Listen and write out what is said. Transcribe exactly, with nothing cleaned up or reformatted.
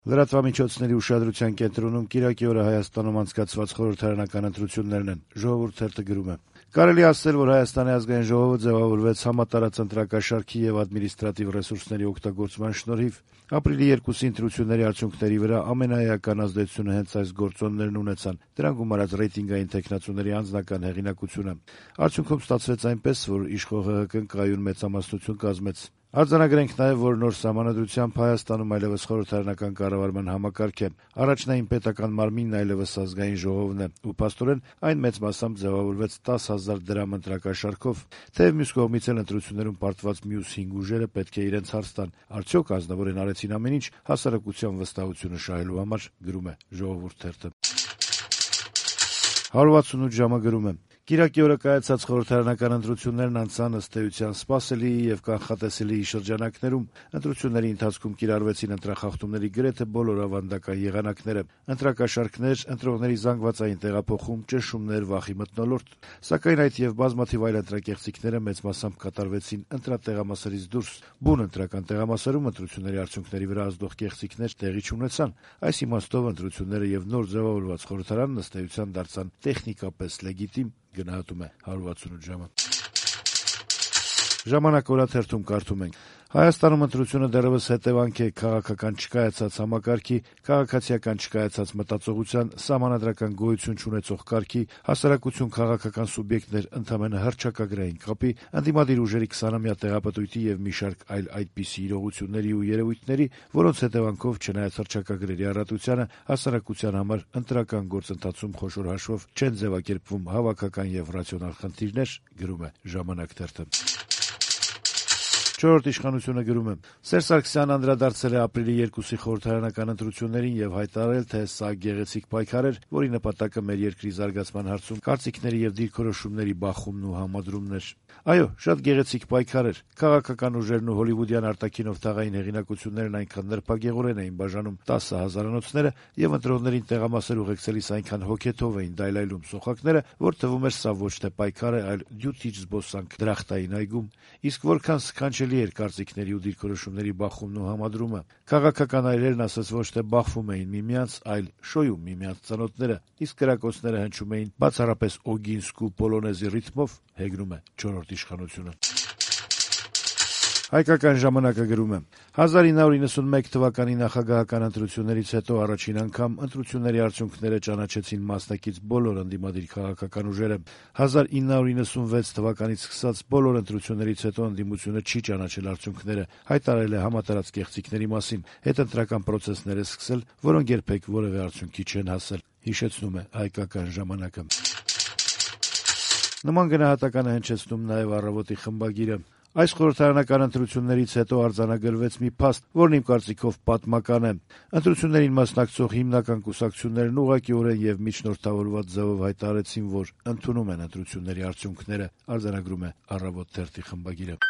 Լրատվամիջոցների ուշադրության կենտրոնում կիրակի օրը Հայաստանում անցկացված խորհրդարանական ընտրություններն են, Ժողովուրդ թերթը գրում է. Կարելի է ասել, որ Հայաստանի ազգային ժողովը ձևավորվեց համատարած ընտրակաշառքի եւ ադմինիստրատիվ ռեսուրսների օգտագործման շնորհիվ։ Ապրիլի երկուսի ընտրությունների արդյունքների վրա ամենաէական ազդեցությունը հենց այս գործոններն ունեցան, դրանք գումարած ռեյտինգային թեկնածուների անձնական հեղինակությունը։ Արդյունքում ստացվեց այնպես, որ իշխող ՀՀԿ-ն կայուն մեծամասնություն կազմեց։ Արձանագրենք նաև, որ նոր սահմանադրությամբ Հայաստանում այլևս խորհրդարանական կառավարման համակարգ է, առաջնային պետական մարմինն այլևս ազգային ժողովն է, ու փաստորեն այն մեծ մասամբ ձևավորվեց տասը հազար դրամ ընտրակաշառքով, թեև մյուս կողմից էլ ընտրություններում պարտված մյուս հինգ ուժերը պետք է իրենց հարց տան, արդյոք ազնվորեն արեցին ամեն ինչ հասարակության վստահությունը շահելու համար, գրում է Ժողովուրդ թերթը։ հարյուր վաթսունութ ժամը գրում է. Կիրակի օրը կայացած խորհրդարանական ընտրություններն անցան ըստ էության սպասելի եւ կանխատեսելի շրջանակներում։ Ընտրությունների ընթացքում կիրառվեցին ընտրախախտումների գրեթե բոլոր ավանդական եղանակները՝ ընտրակաշառքներ, ընտրողների զանգվածային տեղափոխում, ճնշումներ, վախի մթնոլորտ։ Սակայն այդ եւ բազմաթիվ այլ ընտրակեղծիքները մեծ մասամբ կատարվեցին ընտրատեղամասերից դուրս։ Բուն ընտրական տեղամասերում ընտրությունների արդյունքների վրա ազդող կեղծիքներ տեղի չունեցան։ Այս իմաստով ընտրությունները եւ նոր ձևավորված խորհրդարանն ըստ էության դարձան տեխնիկապես լեգիտիմ, գնահատում է հարյուր վաթսունութ ժամը։ Ժամանակ օրաթերթում կարդում ենք. Հայաստանում ընտրությունը դեռևս հետևանք է քաղաքական չկայացած համակարգի, քաղաքացիական չկայացած մտածողության, սահմանադրական գոյություն չունեցող կարգի, հասարակություն քաղաքական սուբյեկտներ ընդամենը հռչակագրային կապի, ընդդիմադիր ուժերի քսանամյա տեղապտույտի եւ մի շարք այլ այդպիսի իրողությունների ու երևույթների, որոնց հետևանքով չնայած հռչակագրերի առատությանը, հասարակության համար ընտրական գործընթացում խոշոր հաշվով չեն ձևակերպվում հավաքական եւ ռացիոնալ խնդիրներ, գրում է Ժամանակ թերթը։ Չորրորդ իշխանությունը գրում է. Սերժ Սարգսյանն անդրադարձել է ապրիլի երկուսի խորհրդարանական ընտրություններին եւ հայտարարել, թե սա գեղեցիկ պայքար էր, որի նպատակը մեր երկրի զարգացման հարցում կարծիքների եւ դիրքորոշումների բախումն ու համադրումն էր։ Այո, շատ գեղեցիկ պայքար էր։ Քաղաքական ուժերն ու հոլիվուդյան արտաքինով թաղային հեղինակություններն այնքան նրբագեղորեն էին բաժանում տասը հազարանոցները եւ ընտրողներին տեղամասեր ուղեկցելիս այնքան հոգեթով էին դայլայլում սոխակները, որ թվում էր սա ոչ թե պայքար է, այլ դյութիչ զբոսանք դրախտային այգում։ Իսկ որքան սքանչելի էր կարծիքների ու դիրքորոշումների բախումն ու համադրումը։ Քաղաքական այրերն ասես ոչ թե բախվում էին միմյանց, այլ շոյում միմյանց ծանոթները, իսկ կրակոցները հնչում էին բացառապես օգինսկու պոլոնեզի ռիթմով, հեգնում է չորրորդ իշխանությունը։ Հայկական ժամանակը գրում է. հազար ինը հարյուր իննսունմեկ թվականի նախագահական ընտրություններից հետո առաջին անգամ ընտրությունների արդյունքները ճանաչեցին մասնակից բոլոր ընդդիմադիր քաղաքական ուժերը։ հազար ինը հարյուր իննսունվեց թվականից սկսած բոլոր ընտրություններից հետո ընդդիմությունը չի ճանաչել արդյունքները, հայտարարել է համատարած կեղծիքների մասին, հետընտրական պրոցեսներ է սկսել, որոնք երբեք որևէ արդյունքի չեն հասել, հիշեցնում է Հայկական ժամանակը։ Նման գնահատական է հնչեցնում նաև Առավոտի խմբագիրը։ Այս խորհրդարանական ընտրություններից հետո արձանագրվեց մի փաստ, որն իմ կարծիքով պատմական է։ Ընտրություններին մասնակցող հիմնական կուսակցություններն ուղղակիորեն եւ միջնորդավորված ձևով հայտարարեցին, որ ընդունում են ընտրությունների արդյունքները, արձանագրում է Առավոտ թերթի խմբագիրը։